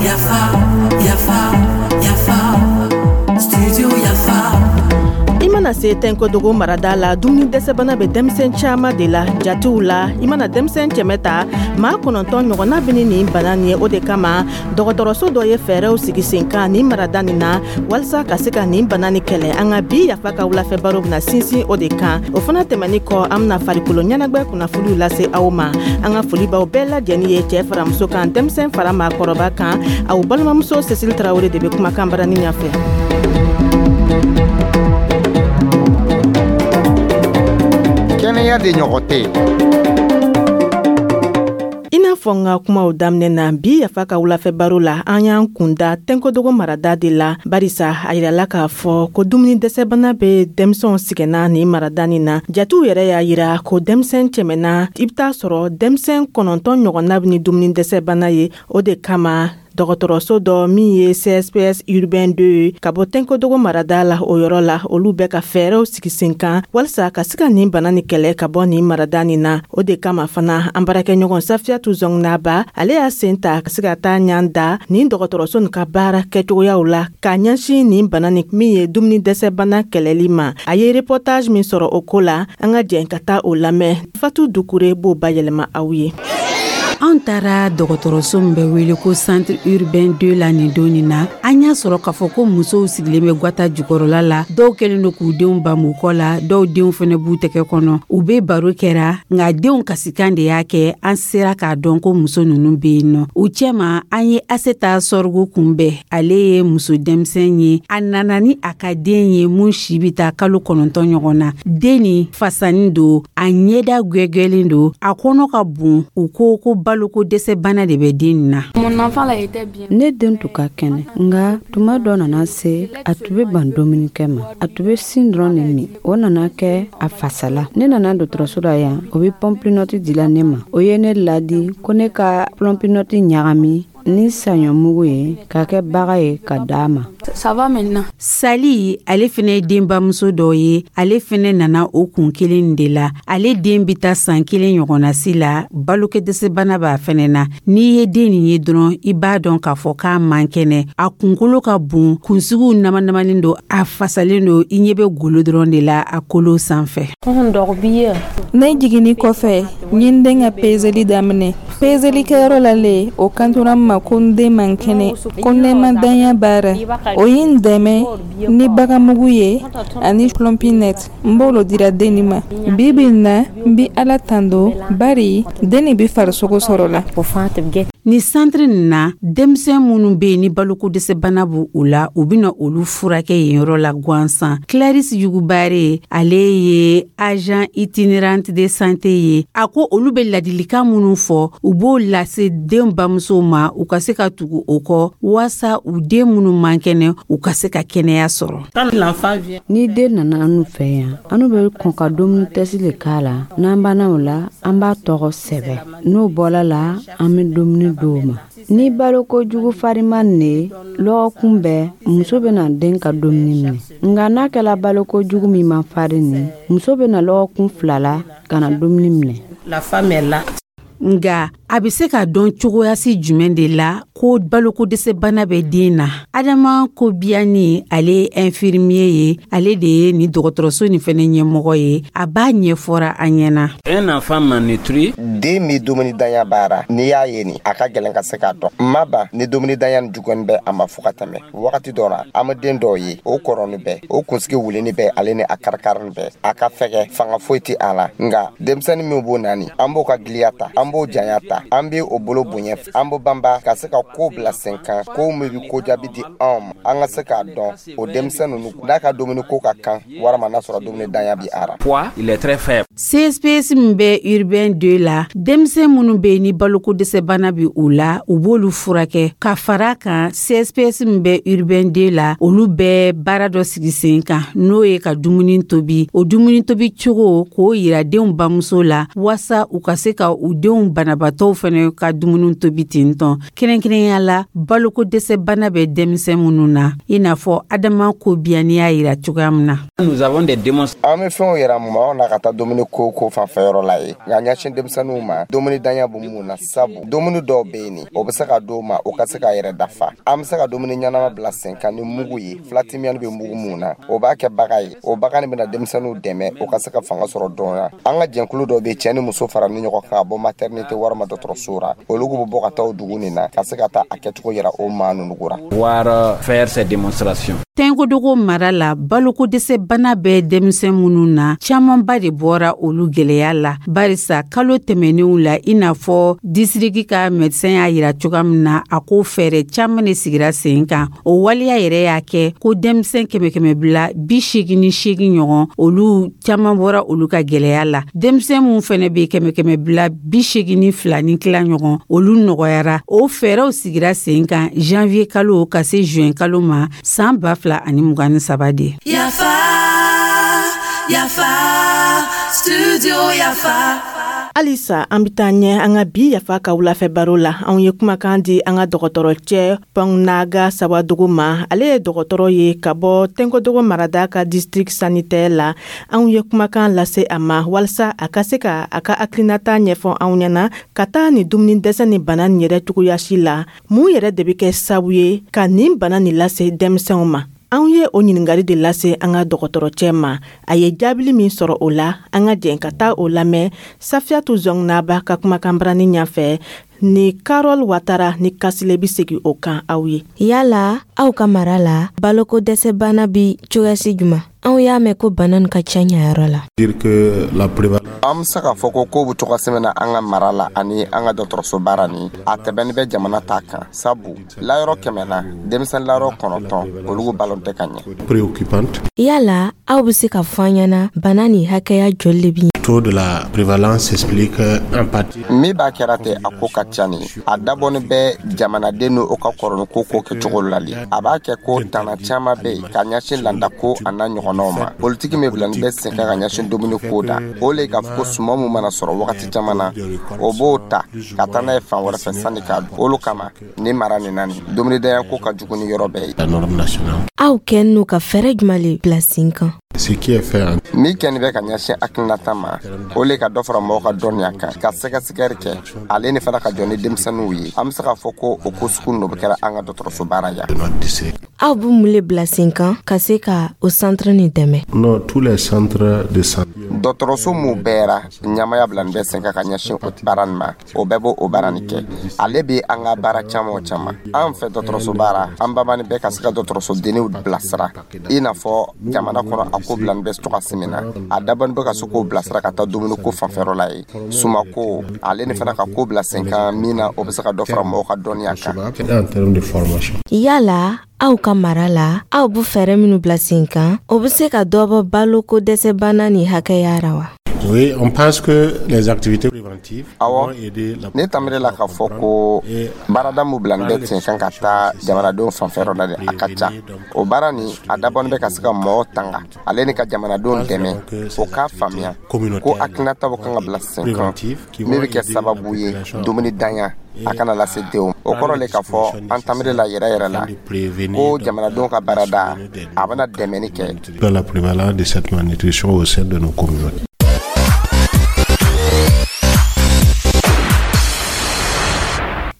Yafa, yafa, yafa, studio Yafa. I mana se Tɛnkodogo marada la, dumuni dɛsɛbana bɛ denmisɛn caman de la. Jatew la, i mana denmisɛn 100 ta, maa 9 ɲɔgɔnna bɛ ni nin bana nin ye. O de kama, dɔgɔtɔrɔso dɔ ye fɛɛrɛw sigi sen kan nin marada nin na, walasa ka se ka nin bana nin kɛlɛ. An ka bi Yafa ka wulafɛ baro bɛna sinsin o de kan. O fana tɛmɛni kɔ, an bɛna farikolo ɲɛnagwɛ kunnafoniw lase aw ma. An ka foli b'aw bɛɛ lajɛlen ye, cɛɛ fara muso kan, denmisɛn fara maakɔrɔba kan. Aw balimamuso Cécile Tarawele de bɛ kumakan barani ɲɛfɛ. Kɛnɛya de ɲɔgɔn tɛ. I n'a fɔ n ka kumaw daminɛ na, bi Yafa ka wulafɛ baro la, an y'an kunda Tɛnkodogo marada de la, barisa a yirala k'a fɔ ko dumuni dɛsɛbana bɛ denmisɛnw sɛgɛnna nin marada nin na. Jatew yɛrɛ y'a yira ko denmisɛn 100 na, i bɛ taa sɔrɔ denmisɛn 9 ɲɔgɔnna bɛ ni dumuni dɛsɛbana ye. O de kama, dɔgɔtɔrɔso dɔ min ye CSPS urbain 2 ye ka bɔ Tɛnkodogo marada la, o yɔrɔ la, olu bɛ ka fɛɛrɛw sigi sen kan walasa ka se ka nin bana nin kɛlɛ ka bɔ nin marada nin na. O de kama fana, an baarakɛɲɔgɔn Safiyatu Zɔngnaba, ale y'a sen ta ka se ka taa ɲan da nin dɔgɔtɔrɔso nin ka baara kɛcogoyaw la k'a ɲɛsin nin bana nin min ye dumuni dɛsɛ bana kɛlɛli ma. A ye reportage min sɔrɔ o ko la, an ka jɛn ka taa o lamɛn. Fatu Dukure b'o bayɛlɛma aw ye. An taara dɔgɔtɔrɔso min bɛ wele ko centre urbain 2 la nin don nin na, an y'a sɔrɔ k'a fɔ ko musow sigilen bɛ gwata jukɔrɔla la. Dɔw kɛlen don k'u denw bamu kɔ la, dɔw denw fɛnɛ b'u tɛgɛ kɔnɔ, u be baro kɛra. Nka denw kasikan de y'a kɛ an sera k'a dɔn ko muso nunu be yen nɔ. U cɛma, an ye Aseta Sɔrɔgu kunbɛn. Ale ye muso denmisɛn ye, a nana ni a ka den ye mun si bi taa kalo 9 ɲɔgɔn na. Den ni fasanin don, a ɲɛda gwɛgwɛlen don, a kɔnɔ ka bon. U ko ko baloko dɛsɛ bana de bɛ den na. Ne den tun ka kɛnɛ, nka tuma dɔ nana se, a tun bɛ ban dumunikɛ ma, a tun bɛ sin dɔrɔn de min. O nana kɛ a fasala. Ne nana dɔgɔtɔrɔso la yan, o bɛ Plumpy'Nut dila ne ma. O ye ne ladi ko ne ka Plumpy'Nut ɲagami ni saɲɔmugu ye ka kɛ baga ye ka d'a ma. Sali, ale fɛnɛ ye denbamuso dɔ ye. Ale fɛnɛ nana o kun kelen de la. Ale den bɛ taa san 1 ɲɔgɔnna si la, balokɛdɛsɛbana b'a fɛnɛ na. N'i ye den nin ye dɔrɔn, i b'a dɔn k'a fɔ k'a man kɛnɛ. A kunkolo ka bon, kunsigiw namanamanen don, a fasalen don, i ɲɛ bɛ golo dɔrɔn de la a kolo sanfɛ. Ne jiginni kɔfɛ, n ye n den ka peseli daminɛ. Peselikɛyɔrɔ la le, o kantora n ma ko n den man kɛnɛ, ko nɛmadanya b'a ra. O ye n dɛmɛ ni bagamugu ye ani Plumpy'Nut. N b'o dira den nin ma. Bi bi in na, n bi Ala tando, bari den nin bi farisogo sɔrɔ la. Ni centre nin na, denmisɛn minnu bɛ yen ni baloko dɛsɛbana b'u u la, u bɛna olu furakɛ yen yɔrɔ la gansan. Clarisse Yugubare, ale ye agent itinérante de santé ye. A ko olu bɛ ladilikan minnu fɔ, u b'o lase den bamusow ma, u ka se ka tugu o kɔ, waasa u den minnu man kɛnɛ, u ka se ka kɛnɛya sɔrɔ. Ni den nana anu fɛ yan, anu bɛ kɔn ka dumuni tɛsi le k'a la. N'an banna o la, an b'a tɔgɔ sɛbɛ. N'o bɔla la, an bɛ dumuni d'o ma. Ni baloko jugu fariman ne, lɔgɔkun bɛɛ muso bɛna den ka dumuni minɛ. Nka n'a kɛla baloko jugu min man farin nin, muso bɛna lɔgɔkun 2 la ka na dumuni minɛ. Nka a bɛ se ka dɔn cogoyasi jumɛn de la ko baloko dɛsɛbana bɛ den na? Adama Kobiyani, ale ye infirmier ye, ale de ye nin dɔgɔtɔrɔso nin fɛnɛ ɲɛmɔgɔ ye. A b'a ɲɛfɔra an ɲɛna. Un enfant malnutri, Den min dumuni danya b'ara, n'i y'a ye nin, a ka gɛlɛn ka se k'a dɔn. Ma ban ni dumuni danya nin jugunin bɛ a ma fo ka tɛmɛ wagati dɔ la. An bɛ den dɔw ye, o kɔrɔni bɛɛ, o kunsigi wulini bɛɛ, ale ni a karikarini bɛɛ, a ka fɛgɛ, fanga foyi tɛ a la. Nka denmisɛnnin min b'o nani, an b'o ka giliya ta, an b'o janya ta, an bɛ o bolo bonya, an b'o banba ka se ka ko bila sen kan, ko min bɛ ko jaabi di anw ma, an ka se k'a dɔn o denmisɛn ninnu n'a ka dumuni ko ka kan, walima n'a sɔrɔ dumuni danya bi a ra. Poids, il est très faible. CSPS min bɛ urbain 2 la, denmisɛn minnu bɛ yen ni baloko dɛsɛbana bɛ u la, u b'olu furakɛ. Ka fara kan, CSPS min bɛ urbain 2 la, olu bɛ baara dɔ sigi sen kan, n'o ye ka dumuni tobi. O dumuni tobi cogo, k'o yira denw bamuso la, waasa u ka se ka u denw banabaatɔw fɛnɛ ka dumuni tobi ten tɔn. Kɛrɛnkɛrɛnnenya. Kɛrɛnkɛrɛnnenya la, baloko dɛsɛ bana bɛ denmisɛn minnu na, i n'a fɔ Adama Kobiyani y'a yira cogoya min na. Nous avons des démonstrations. An bɛ fɛnw yira maaw na ka taa dumuni ko fanfɛyɔrɔ la ye, nka ɲɛsin denmisɛnninw ma, dumuni danya bɛ mun na, sabu dumuni dɔw bɛ yen, o bɛ se ka d'o ma, o ka se k'a yɛrɛ dafa. An bɛ se ka dumuni ɲɛnama bila sen kan ni mugu ye, filatimiyani bɛ mugu mun na, o b'a kɛ baga ye. O baga nin bɛna denmisɛnninw dɛmɛ o ka se ka fanga sɔrɔ dɔɔnin. An ka jɛnkulu dɔw bɛ, cɛ ni muso fara ni ɲɔgɔn kan ka bɔ maternité walima dɔgɔtɔrɔso la, olu bɛ bɔ ka taa o dugu nin na ka se ka taa a kɛcogo yira o maa ninnu ra. Pouvoir faire ces démonstrations. Tɛnkodogo mara la, baloko dɛsɛ bana bɛ denmisɛn minnu na, camanba de bɔra olu gwɛlɛya la, barisa kalo tɛmɛnenw la, i n'a fɔ disiriki ka médecin y'a yira cogoya min na, a ko fɛɛrɛ caaman de sigira sen kan. O waleya yɛrɛ y'a kɛ ko denmisɛn 188 ɲɔgɔn, olu caaman bɔra olu ka gwɛlɛya la. Denmisɛn mun fɛnɛ be 182.5 ɲɔgɔn, olu nɔgɔyara. O fɛɛrɛw sigira sen kan janvier kalo ka se juin kalo ma san 2023 de. Yafa, Yafa, Studio Yafa. Halisa an bɛ taa ɲɛ an ka bi Yafa ka wulafɛ baro la. Anw ye kumakan di an ka dɔgɔtɔrɔ cɛ Pɔngnaga Sawadogo ma. Ale ye dɔgɔtɔrɔ ye ka bɔ Tɛnkodogo marada ka district sanitaire la. Anw ye kumakan lase a ma walasa a ka se ka a ka hakilinata ɲɛfɔ anw ɲɛna ka taa nin dumuni dɛsɛ ni bana nin yɛrɛ cogoyasi la. Mun yɛrɛ de bɛ kɛ sababu ye ka nin bana nin lase denmisɛnw ma? Anw ye o ɲininkali de lase an ka dɔgɔtɔrɔ cɛ ma. A ye jaabili min sɔrɔ o la, an ka jɛn ka taa o lamɛn Safiyatu Zɔngnaba ka kumakanbarani ɲɛfɛ ni Karol Watara ni Kasile bɛ segin o kan aw ye. Yala aw ka mara la, baloko dɛsɛ bana bi cogoyasi juman? Anw y'a mɛn ko bana nin ka ca ɲayɔrɔ la. An bɛ se k'a fɔ ko kow bɛ cogoya min na an ka mara la ani an ka dɔgɔtɔrɔso baara nin, a tɛmɛni bɛ jamana ta kan, sabu layɔrɔ 100 na, denmisɛnnin layɔrɔ 9, olu balo tɛ ka ɲɛ. Yala aw bɛ se ka fɔ an ɲɛna, bana nin hakɛya joli de bi? Taux de la prévalence s'explique en partie. Min b'a kɛra ten, a ko ka ca ni a dabɔni bɛ jamanaden n'o ka kɔrɔni ko kɛcogo la. A b'a kɛ ko tana caman bɛ yen ka ɲɛsin landa ko a n'a ɲɔgɔnnaw ma. Politiki min bila ni bɛ sen kan ka ɲɛsin dumuni ko da, o le k'a fɔ ko suman mun mana sɔrɔ wagati caman na, o b'o ta ka taa n'a ye fan wɛrɛ fɛ sanni k'a dun. Olu kama ni mara nin na, nin dumunidanya ko ka jugu ni yɔrɔ bɛɛ ye. La norme nationale. Aw kɛn n'u ka fɛɛrɛ jumɛn le bila sen kan? Ce qui est fait en Min kɛni bɛ ka ɲɛsin hakilinata ma, o le ka dɔ fara mɔgɔw ka dɔnniya kan, ka sɛgɛsɛgɛli kɛ, ale ni fana ka jɔ ni denmisɛnninw ye. An bɛ se k'a fɔ ko o ko sugu ninnu bɛ kɛra an ka dɔgɔtɔrɔso baara yan. Notre district. Aw bɛ mun le bila sen kan ka se ka o centre nin dɛmɛ? Non, tous les centres de santé. Dɔgɔtɔrɔso mun bɛɛra ɲamaya bila nin bɛ sen kan ka ɲɛsin o baara nin ma, o bɛɛ b'o o baara nin kɛ. Ale bɛ an ka baara caman o caman an fɛ dɔgɔtɔrɔso baara, an babani bɛɛ ka se ka dɔgɔtɔrɔso denniw bilasira, i n'a fɔ jamana kɔnɔ a ko bila nin bɛ cogoya min na, a dabɔni bɛ ka se k'o bilasira ka taa dumuni ko fanfɛyɔrɔ la ye, sumako, ale ni fana ka ko bila sen kan min na, o bɛ se ka dɔ fara mɔgɔw ka dɔnniya kan. En termes de formation. Yala aw ka mara la, aw bɛ fɛɛrɛ minnu bila sen kan, o bɛ se ka dɔ bɔ baloko dɛsɛ bana nin hakɛya ra wa? Oui, on pense que les activités préventives Awɔ. vont aider la Ne tamire la k'a fɔ ko baarada mun bila nin bɛ sen kan ka taa jamanadenw fanfɛyɔrɔ la dɛ, a ka ca. O baara nin, a dabɔni bɛ ka se ka mɔgɔw tanga, ale ni ka jamanadenw dɛmɛ o k'a faamuya ko hakilinataw kan ka bila sen kan min bɛ kɛ sababu ye dumuni danya a kana lase denw. O kɔrɔ le k'a fɔ an tamire la yɛrɛ yɛrɛ la ko jamanadenw ka baarada, a bɛna dɛmɛni kɛ. La prévalence de cette malnutrition au sein de nos communautés.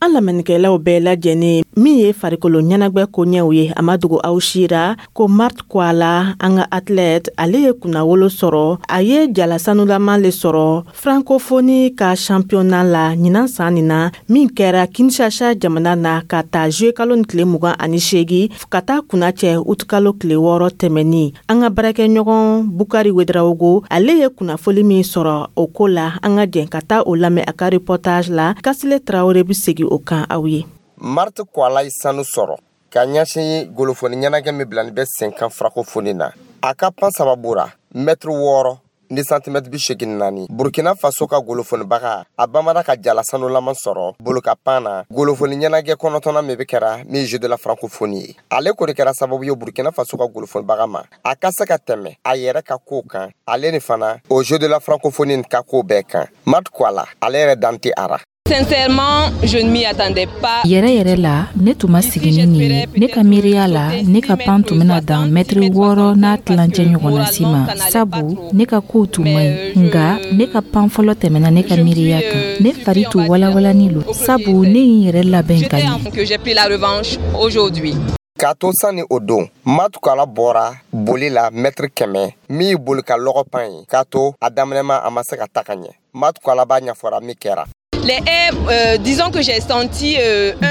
An lamɛnnikɛlaw bɛɛ lajɛlen, min ye farikolo ɲɛnagwɛ koɲɛw ye, a ma dogo aw sira ko Marte Kwala, an ka athlète, ale ye kunnawolo sɔrɔ. A ye jala sanulama le sɔrɔ Francophonie ka championnat la ɲinan san nin na, min kɛra Kinshasa jamana na, ka taa juillet kalo ni tile 28 ka taa kunna cɛ utukalo tile 6 tɛmɛni. An ka baarakɛɲɔgɔn Bukari Wedarawogo, ale ye kunnafoli min sɔrɔ o ko la, an ka jɛn ka taa o lamɛn a ka reportage la. Kasile Tarawele bɛ segin o kan aw ye. Marte Kwala ye sanu sɔrɔ ka ɲɛsin golofoni ɲɛnajɛ min bila ni bɛ sen kan Francophonie na. A ka pan sababu ra mɛtiri 6 ni santimɛtiri 84, Burkina Faso ka golofonibaga, a bamara ka jala sanulama sɔrɔ boloka pan na golofoni ɲɛnajɛ kɔnɔtɔnna min bɛ kɛra min Jeux de la Francophonie ye. Ale kɔni kɛra sababu ye Burkina Faso ka golofonibaga ma, a ka se ka tɛmɛ a yɛrɛ ka kow kan, ale ni fana o Jeux de la Francophonie ka kow bɛɛ kan. Marte Kwala, ale yɛrɛ dan tɛ a ra. Sincèrement, je ne m'y attendais pas. Yɛrɛ yɛrɛ la, ne tun ma sigi ni nin ye. Ne ka miiriya la, ne ka pan tun bɛna dan mɛtiri 6.5 ɲɔgɔnna si ma, sabu ne ka kow tun man ɲi. Nka ne ka pan fɔlɔ tɛmɛna ne ka miiriya kan. Ne fari tun walawalani lo, sabu ne ye n yɛrɛ labɛn ka ɲɛ. Que j'ai pris la revanche aujourd'hui. K'a to sanni o don, Matukala bɔra boli la mɛtiri 100 min ye boli ka lɔgɔ pan ye, k'a to a daminɛma a ma se ka ta ka ɲɛ. Matukala b'a ɲɛfɔra min kɛra. Les haies, disons que j'ai senti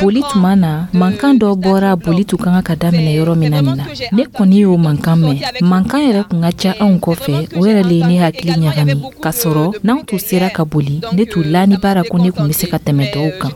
Boli tuma na, mankan dɔ bɔra boli tun ka kan ka daminɛ yɔrɔ min na nin na. Ne kɔni y'o mankan mɛn. Mankan yɛrɛ tun ka ca anw kɔfɛ, o yɛrɛ le ye ne hakili ɲagami. K'a sɔrɔ n'anw tun sera ka boli, ne tun lani b'a ko ne tun bɛ se ka tɛmɛ tɔw kan.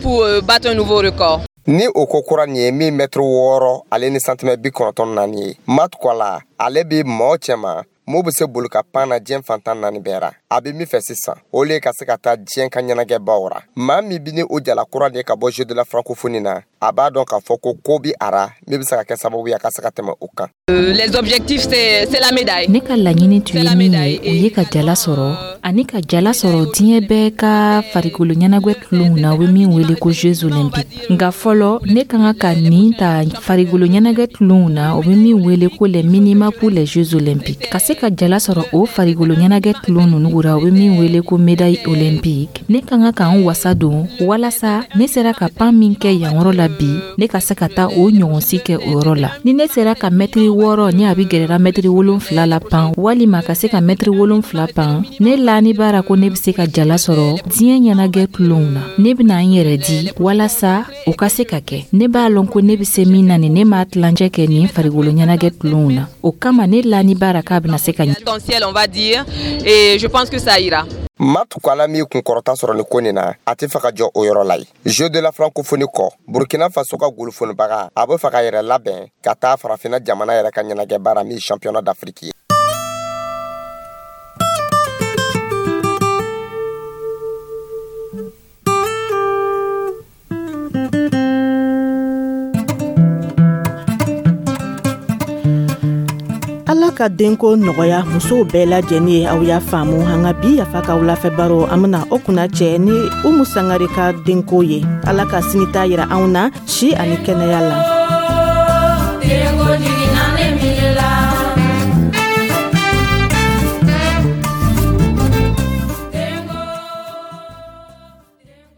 Pour battre un nouveau record. Ni o ko kura nin ye min mɛtiri 6 ale ni santimɛ 94 ye, Matukala ale bɛ mɔɔ cɛma mun bɛ se boli ka pan na diɲɛ fantan naani bɛɛ ra. A bɛ min fɛ sisan, o le ka se ka taa diɲɛ ka ɲɛnajɛbaw ra. Maa min bɛ ni o jala kura de ka bɔ Jeux de la francophonie na, a b'a dɔn k'a fɔ ko ko bi a ra min bɛ se ka kɛ sababu ye a ka se ka tɛmɛ o kan. Les objectifs, c'est la médaille. Ne ka laɲini tun ye min ye, o ye ka jala sɔrɔ ani ka jala sɔrɔ diɲɛ bɛɛ ka farikolo ɲɛnajɛ tulonw na, u bɛ min wele ko Jeux olympiques. Nka fɔlɔ, ne ka kan ka nin ta farikolo ɲɛnajɛ tulonw na, u bɛ min wele ko les minima pour les Jeux olympiques. Ka se ka jala sɔrɔ o farikolo ɲɛnajɛ tulon ninnu ra, u bɛ min wele ko médaille olympique, ne ka kan ka n wasa don walasa ne sera ka pan min kɛ yan yɔrɔ la bi, ne ka se ka taa o ɲɔgɔnsi kɛ o yɔrɔ la. Ni ne sera ka mɛtiri 6 ni a bɛ gɛrɛra mɛtiri 7 la pan, walima ka se ka mɛtiri 7 pan, ne lani b'a ra ko ne bɛ se ka jala sɔrɔ diɲɛ ɲɛnajɛ tulonw na. Ne bɛna n yɛrɛ di walasa o ka se ka kɛ. Ne b'a lɔn ko ne bɛ se min na nin, ne m'a tilancɛ kɛ nin farikolo ɲɛnajɛ tulonw na. O kama ne lani b'a ra k'a bɛna se ka ɲɛ. Potentiel, on va dire, et je pense que ça ira. Matukala min kunkɔrɔta sɔrɔ ni ko nin na, a tɛ fɛ ka jɔ o yɔrɔ la ye. Jeux de la francophonie kɔ, Burkina Faso ka golofonibaga a bɛ fɛ ka yɛrɛ labɛn ka taa farafinna jamana yɛrɛ ka ɲɛnajɛ baara min championnat d'Afrique ye. Ala ka denko nɔgɔya musow bɛɛ lajɛlen ye. Aw y'a faamu, an ka bi Yafa ka wulafɛ baro, an bena o kunna cɛ ni Umu Sangare ka denko ye. Ala ka sini ta yira anw na si ani kɛnɛya la.